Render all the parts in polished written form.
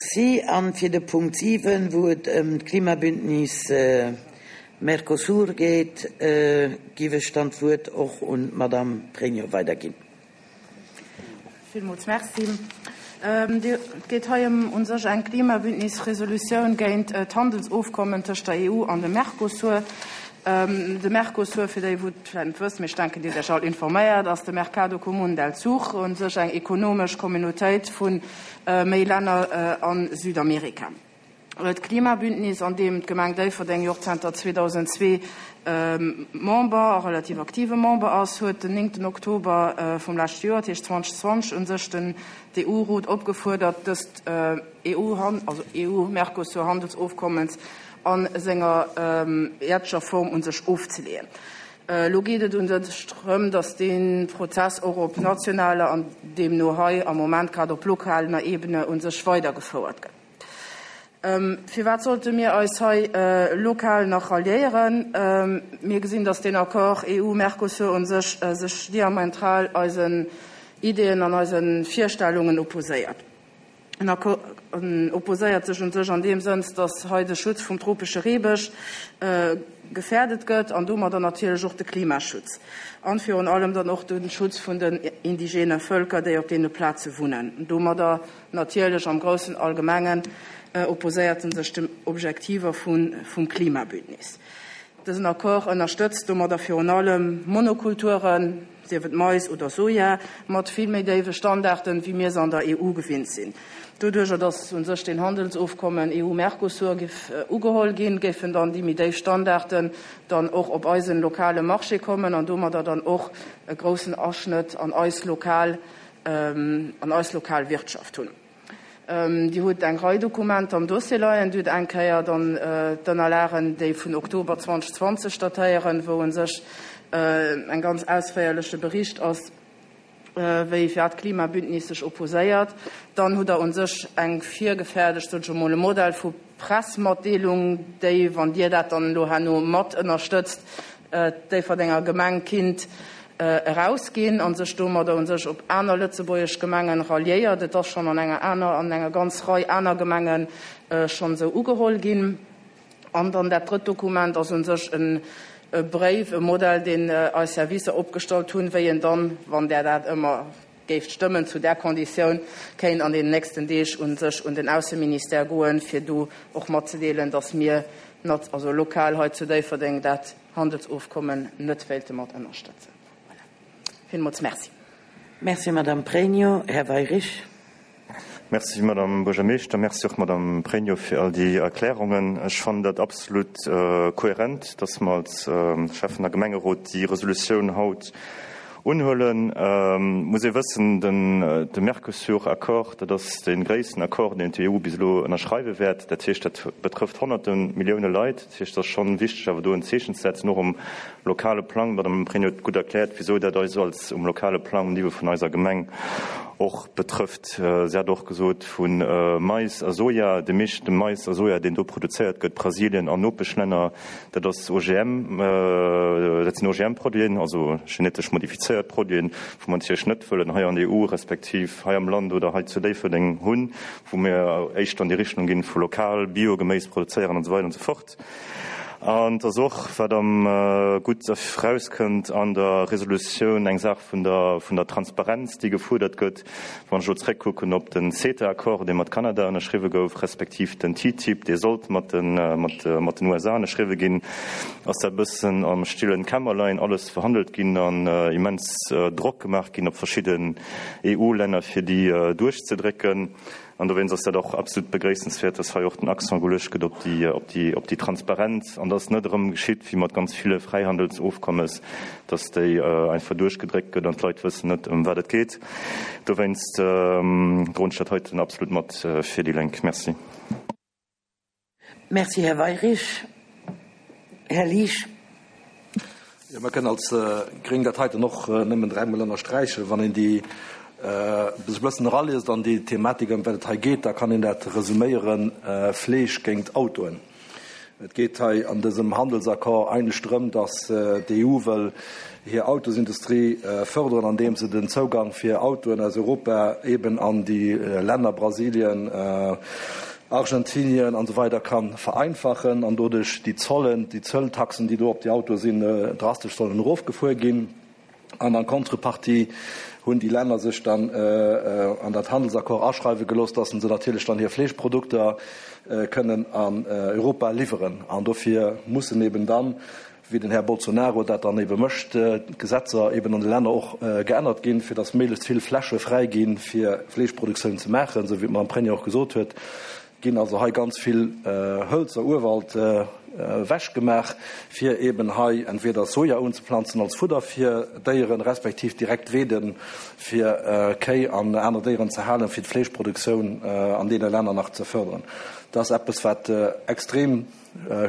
Merci. An fir de Punkt 7, wou et ëm d'Klimabündnis Mercosur geet, giff ech dann d'Wuert och un d'Madame Pregno weiderginn. Villmools Merci. Et geet hei ëm u sech eng Klimabündnis-Resolutioun géint d'Handelsofkommen tëscht der EU an dem Mercosur. De Mercosur, fir déi wou et vläicht net wëssen, mee ech denken Dir sidd Iech all informéiert, ass de Mercado Común del Sur, u sech eng ekonomesch Communautéit vu méi Länner a Südamerika. D'Klimabündnis, an deem d'Gemeng Déifferdeng jo och zanter 2002 Member a relativ aktive Member ass, huet den néngten Oktober vum leschte Joer, dat heescht 2020, u sech den EU-Rot opgefuerdert, dëst EU-Mercosur-Handelsofkommens a senger jetzeger Form u sech ofzeleeën. Elo geet et u sech drëm, datt dee Prozess och op nationaler an deemno hei am Moment grad op lokaler Ebene u sech weidergefouert gëtt. Firwat sollte mir eis hei lokal nach ralliéieren? Mir gesinn, datt deen Accord EU-Mercosur u sech sech diamentral eisen Ideeën an eise Virstellungen opposéiert. En opposéiert sech u sech an deem Sënn, datt hei de Schutz vum tropesche Reebësch gefährdet gëtt an domadder natierlech och de Klimaschutz an virun allem dann och de Schutz vun den indigene Vëlker, déi op deene Plaze wunnen. Domadder Natierlech am groussen Allgemengen opposéiert en sech den Objektiver vum Klimabündnis. Dësen Accord ënnerstëtzt domadder virun allem Monokulturen, sief et Mais oder Soja, mat vill méi déiwe Standarden, wéi mir se an der EU gewinnt sinn. Doduerjer, datt u sech deen Handelsofkommen EU-Mercosur géif ugeholl ginn, géifen dann déi méi déif Standarden dann och op eisen lokale Marché kommen an domadder dann och e groussen Aschnëtt an eis lokal an eis lokal Wirtschaft hunn. Dir hutt eng Rei Dokumenter am Dossier leien. Dir hutt eng Kéier dann d'Ënnerlagen, déi vun Oktober 2020 datéieren, wou u sech eng ganz ausféierleche Bericht ass, wéi fir d'Klimabündnis sech opposéiert. Dann hutt Der u sech eng virgefäerdegt, sot ech emol, e Modell vu Pressmatdeelung, déi, wann Dir dat dann elo herno mat ënnerstëtzt, d'Déifferdenger Gemeng kinnt erausginn a sech domadder u sech op aner lëtzebuergesch Gemengen ralliéiert. Et ass schonn an enger aner, an enger ganz Rei aner Gemenge schonn esou ugeholl ginn. An dann dat drëtt Dokument ass u sech e Bréif, e Modell, deen eis Servicer opgestallt hunn, wéi en dann, wann Der dat ëmmer géift stëmmen, zu där Konditioun kéint an deenen nächsten Deeg u sech un den Ausseministère goen, fir do och matzedeelen, datt mir, also lokal hei zu Déifferdeng, dat Handelsofkommen net wéilte mat ënnerstëtzen. Voilà. Villmools Merci. Merci, Madame Pregno. Här Weyrich. Merci, Madame Buergermeeschter. Merci och, Madame Pregno, fir all déi Erklärungen. Ech fannen dat absolut kohärent, dass mer als Schäffen a Gemengerot déi Resolutioun haut unhuelen. Et muss ee wëssen, de Mercosur-Accord, dat ass dee gréissten Accord, deen d'EU bis elo ënnerschreiwe wäert. Dat heescht, dat betrëfft honnerte Millioune Leit. Dat heescht, et ass schonn wichteg, awer do en Zeechen ze setzen, och um lokale Plang. D'Madame Pregno huet gutt erkläert, wisou dat eis als um lokale Plang, um Niveau vun eiser Gemeng och betrëfft. Si hat och gesot, vu Mais a Soja, de meeschte Mais a Soja, deen do produzéiert gëtt, Brasilien an Nopeschlänner, dat ass OGM, dat sinn OGM-Produiten, also genetesch modifizéiert Produiten, wou mer natierlech net wëllen hei an der EU respektiv hei am Land oder hei zu Déifferdeng hunn, wou mir éischter an déi Richtung ginn vu lokal Biogeméis produzéieren an esou weider an esou fort. An et ass och, wat am gutt erauskënnt an der Resolutioun, eng Saach vun der, vun der Transparenz, déi gefuerdert gëtt. Wann ech elo zréckkucken op den CETA-Accord, dee mat Kanada ënnerschriwwe gouf, respektiv den TTIP, dee sollt mat den, mat, mat den USA ënnerschriwwe ginn, ass dat e bëssen am stillen Kämmerlein alles verhandelt ginn an immens Drock gemaach ginn op verschidden EU-Länner, fir déi duerchzedrécken. An dowéinst ass dat och absolut begréissenswäert, dass hei och den Accent geluecht gëtt op déi, op déi, op déi Transparenz an dass net erëm geschitt wéi mat ganz ville Fräihandelsofkommes, dass déi einfach duerchgedréckt gëtt an d'Leit wëssen net, ëm wat et geet. Dowéinst droen ech dat heiten absolut mat fir déi Lénk. Merci. Merci, Här Weyrich. Här Liesch. Jo, mir kënnen als Gréng dat heiten och nëmmen dräimol ënnersträichen. Wann een déi sech e bëssen eraliest an déi Thematik, ëm wat et hei geet, da kann een dat resuméieren, Fleesch géint Autoen. Et geet hei an dësem Handelsaccord eigentlech drëm, datt d'EU wëll hir Autosindustrie fërderen, andeem se den Zougang fir Autoen aus Europa eben an déi Länner Brasilien, Argentinien an esou weider ka vereinfachen an doduerch déi Zollen, déi Zölltaxen, déi do op déi Autoe sinn, drastesch sollen erofgefuer ginn. An en Contrepartie hunn déi Länner sech dann an dat Handelsaccord aschreiwe gelooss, dass se natierlech dann hir Fleeschprodukter kënnen an Europa liwweren. An dofir mussen eben dann, wéi den Här Bolsonaro dat dann ebe mécht, d'Gesetzer eben an de Länner och geännert ginn, fir dass méiglechst vill Fläche fräi ginn, fir Fleeschproduktioun ze maachen, esou wéi d'Madame Pregno och gesot huet. Ginn also hei ganz vill Hëlzer, Urwald ewech gemaach, fir eben hei entweder Soja unzeplanzen als Fudder fir Déieren, respektiv direkt Weeden fir Kéi an aner Déieren ze halen, fir d'Fleeschproduktioun an deene Länner nach ze fördern. Dat ass eppes, wat extrem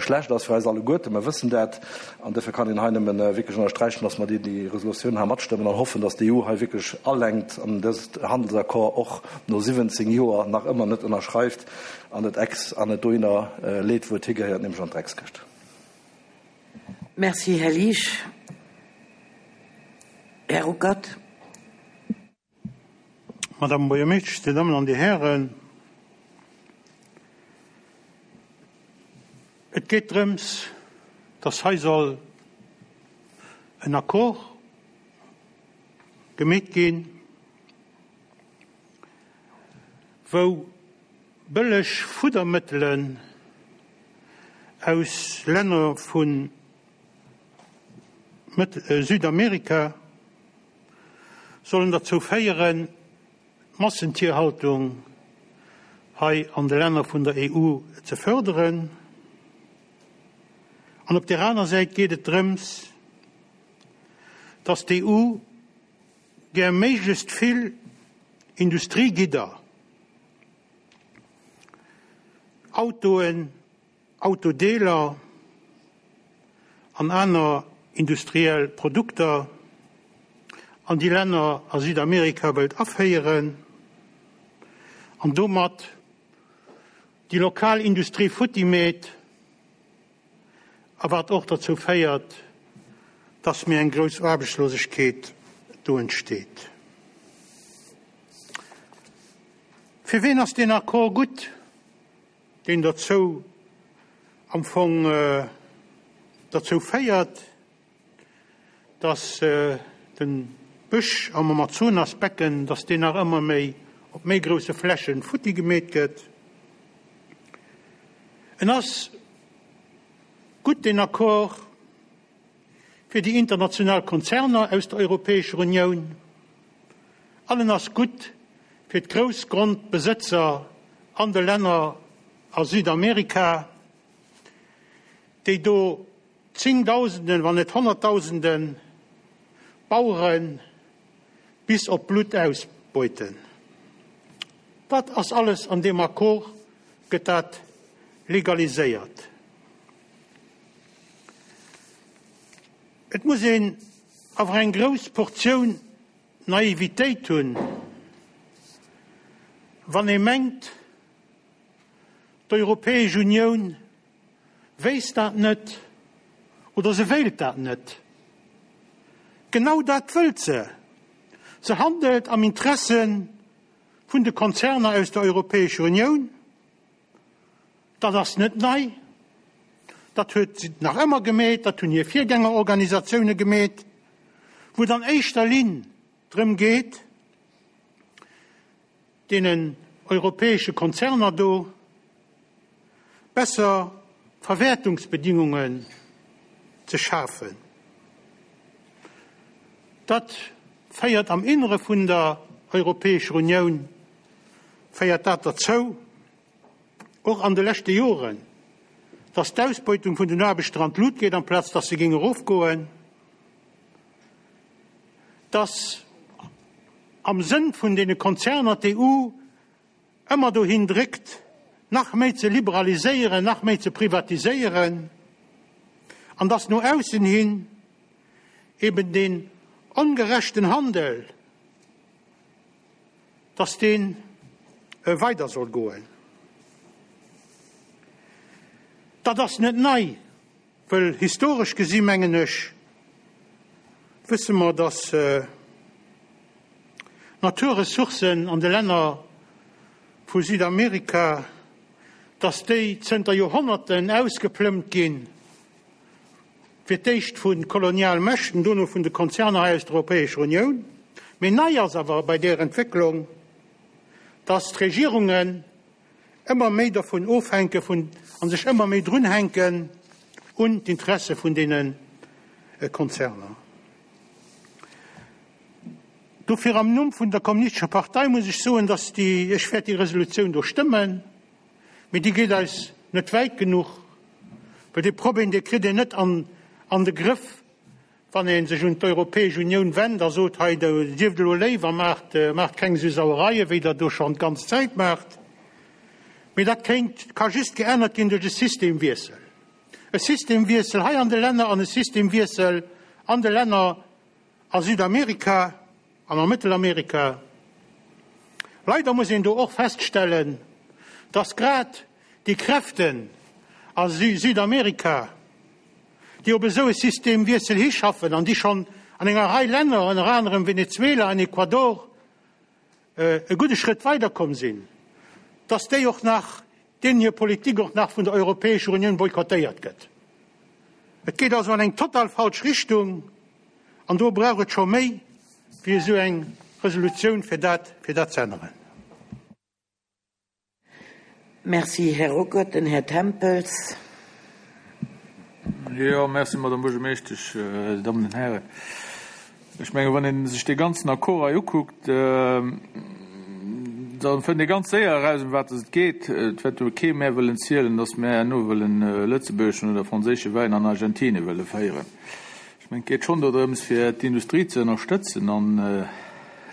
schlecht ass fir eis alleguerten. Mer wëssen dat. An duerfir kann een hei nëmme wierklech ënnersträichen, dass mer déi Resolutioun hei matstëmmen an hoffen, dass d'EU hei wierklech alenkt an dëst Handelsaccord och no 17 Joer nach ëmmer net ënnerschreift an et ex an et dohinner leet, wou et higehéiert, nämlech an d'Dreckskëscht. Merci, Här Liesch. Här Ruckert. Madame Buergermeeschtesch, Dir Dammen an Dir Hären, et geet drëms, dass hei soll en Accord gemeet ginn, wou bëlleg Fuddermëttelen aus Länner vu Südamerika sollen derzou féieren, d'Massentierhaltung hei an de Länner vun der EU ze förderen. An op där aner Säit geet et drëms, dass d'EU gär méiglechst vill Industriegidder, Autoen, Autodeeler an aner industriell Produkter an déi Länner a Südamerika wëllt aféieren an domat déi lokal Industrie futti meet a wat och derzou féiert, dass méi eng grouss Aarbechtslosegkeet do entsteet. Fir ween ass deen Accord gutt? deen derzou am Fong derzou féiert, dass de Bësch am Amazonasbecken, dass deen nach ëmmer méi op méi grousse Flächen futti gemeet gëtt. En ass gutt, deen Accord, fir déi international Konzerner aus der Europäescher Unioun an en ass gutt fir d'Groussgrondbesëtzer an de Länner a Südamerika, déi do Zéngdausenden, wann net Honnertdausende Bauere bis op d'Blutt ausbeuten. Dat ass alles an deem Accord gëtt dat legaliséiert. Et muss een awer eng grouss Portioun Naivitéit hunn, wann ee mengt, d'Europäesch Unioun wéisst dat net oder se wéilt dat net. Genau dat wëllt se! Se handelt am Interesse vun de Konzerner aus der Europäescher Unioun. Dat ass net nei, dat huet si nach ëmmer gemeet, dat hunn hir Virgängerorganisatioune gemeet, wou et an éischter Linn drëm geet, deenen europäesche Konzerner do besser Verwäertungsbedingungen ze schafen. Dat féiert am Innere vun der Europäescher Unioun féiert dat derzou, och an de leschte Joren, dass d'Ausbeutung vun den Aarbechter an d'Lut geet, amplaz dass se géing erofgoen, dass am Sënn vun deene Konzerner d'EU ëmmer dohin dréckt, nach méi ze liberaliséieren, nach méi ze privatiséieren, an dass no aussen hin eben deen ongerechten Handel, dass dee weider soll goen. Dat ass net nei, wëll historesch gesi mengen ech, wësse mer, dass d'Naturressourcen an de Länner vu Südamerika. dass déi zënter Joerhonnerten ausgeplëmmt ginn, fir d'éischt vu Kolonialmächten, dono vun de Konzerner hei aus der Europäescher Unioun. Mee nei ass awer bei där Entwécklung, dass d'Regierungen ëmmer méi dervun ofhänke vun a sech ëmmer méi drunhänken un d'Interesse vun deene Konzerner. Dofir am Numm vun der Kommunistescher Partei muss ech soen, dass déi, ech wäert déi Resolutioun do stëmmen, mee déi geet eis net wäit genuch, well dee Problem, dee kritt een net an an de Grëff, wann ee sech un d'Europäesch Unioun wennt a sot, hei, sieft elo léif a maacht, maacht keng esou Sauereien, wéi Der do schonn d'ganz Zäit maacht. Mee dat kéint, ka just geännert ginn duerch e Systemwiessel. E Systemwiessel hei an de Länner an e Systemwiessel an de Länner a Südamerika an a Mëttelamerika. Leider muss een do och feststellen, dass grad déi Kräften a Südamerika, déi op esou e Systemwiessel hischaffen an déi schonn an enger Rei Länner, ënner anerem Venezuela an Ecuador, e gudde Schrëtt weiderkomm sinn, dass déi och nach, deenen hir Politik och nach vun der Europäescher Unioun boykottéiert gëtt. Et geet also an eng total falsch Richtung an do brauch et scho méi wéi esou eng Resolutioun, fir dat, fir dat ze änneren. Merci, Här Ruckert. Den Här Tempels. Jo, merci, Madame Buergermeeschtesch, Dir Dammen an Hären. Ech mengen, wann ee sech dee ganzen Accord hei ukuckt, da fënnt ee ganz séier eraus, ëm wat et geet. Et wäert jo kee mär wëllen zielen, datt mär herno wëllen lëtzebuergeschen oder franséische Wäin an Argentine wëlle féieren. Ech mengen, et geet schonn dodrëms, fir d'Industrie ze ënnerstëtzen an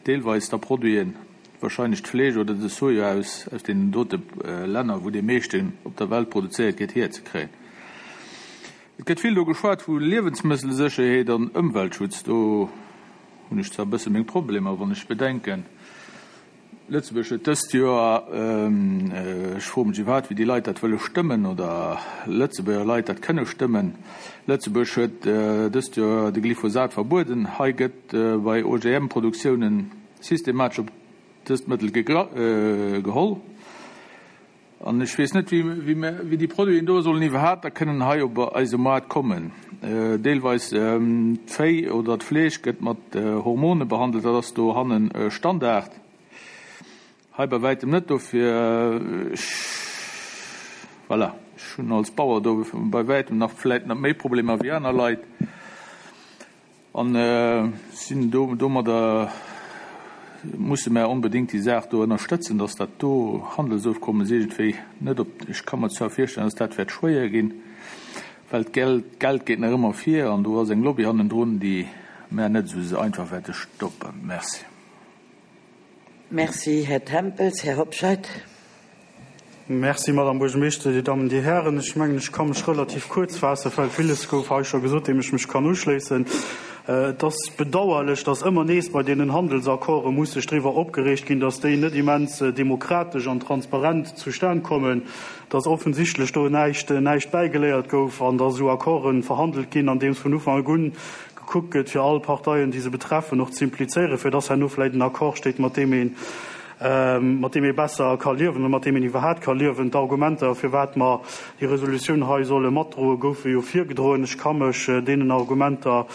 deelweis da Produiten, wahrscheinlech d'Fleesch oder de Soja aus deenen dote Länner, wou dee meeschten op der Welt produzéiert gétt, hierzekréien. Et gëtt vill do geschwat vu Liewensmësselsécherheet an Ëmweltschutz. Do hunn ech zwar e bësse meng Problemer, wann ech bedenken, Lëtzebuerg huet dëst Joer, ech froe mech iwwerhaapt, wéi déi Leit dat wëlle stëmmen oder Lëtzebuerger Leit dat kënne stëmmen, Lëtzebuerg huet dëst Joer de Glyphosat verbueden. Hei gëtt bei OGM-Produktiounen systematesch op dëst Mëttel geholl. An ech weess net, wéi déi Produiten do sollen iwwerhaapt da kënnen hei op eise Moart kommen. Deelweis d'Véi oder d'Fleesch gëtt mat Hormone behandelt, dat ass dohanne Standard. Hei bei wäitem net. Dofir, ech, voilà, ech hunn als Bauer do bei wäitem nach vläicht nach méi Problemer wéi aner Leit. An sinn do, domadder musse mär onbedéngt déi Saach do ënnerstëtzen, dass dat do Handelsofkommes iergendwéi net op, ech ka mer zwar virstellen, dass dat wäert schwéier ginn, well d'Geld, d'Geld geet nach ëmmer vir an do ass eng Lobby hannendrun, déi mär net esou einfach wäerte stoppen. Merci. Merci, Här Tempels. Här Hobscheit. Merci, Madame Buergermeeschter, Dir Dammen, Dir Hären. Ech mengen, ech ka mech relativ kuerz faassen, well villes gouf hei scho gesot, deem ech mech kann uschléissen. Et ass bedauerlech, dass ëmmer nees bei deenen Handelsaccorde muss sech driwwer opgereegt ginn, dass déi net immens demokratesch an transparent zustan kommen, dass offensichtlech do näischt, näischt bäigeléiert gouf an dass esou Accorde verhandelt ginn, andeems vun Ufank un gekuckt gëtt, fir all Parteien, déi se betreffen, och ze implizéieren, fir dass herno vläicht en Accord steet, mat deem een, mat deem ee besser ka liewen oder mat deem een iwwerhaapt ka liewen. D'Argumenter, firwat mer déi Resolutioun hei solle matdroen, goufe jo virgedroen. Ech ka mech deenen Argumenter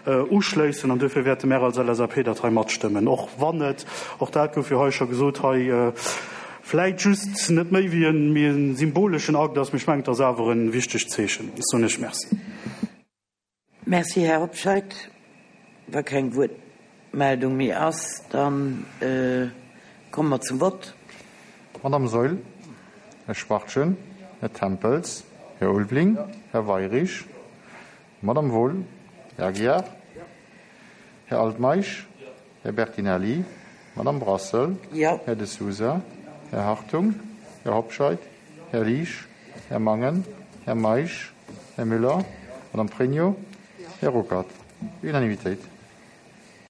uschléissen an duerfir wäerte mär als LSAP dat hei matstëmmen, och wann et, och dat gouf jo hei scho gesot, hei vläicht just net méi wéi e symboleschen Akt ass. Mee ech mengen, et ass awer e wichtegt Zeechen. Ech soen Iech Merci. Merci, Här Hobscheit. Wa keng Wuertmeldung méi ass, da komme mer zum Vott. Madame Saeul, Här Schwachtgen, Här Tempels, Här Ulveling, Här Weirich, Madame Wohl, Här Aguiar, Här Altmeisch, Här Bertinelli, Madame Brassel, Här De Sousa, Här Hartung, Här Hobscheit, Här Liesch, Här Mangen, Här Meisch, Här Müller, Madame Pregno, Här Ruckert. Unanimitéit.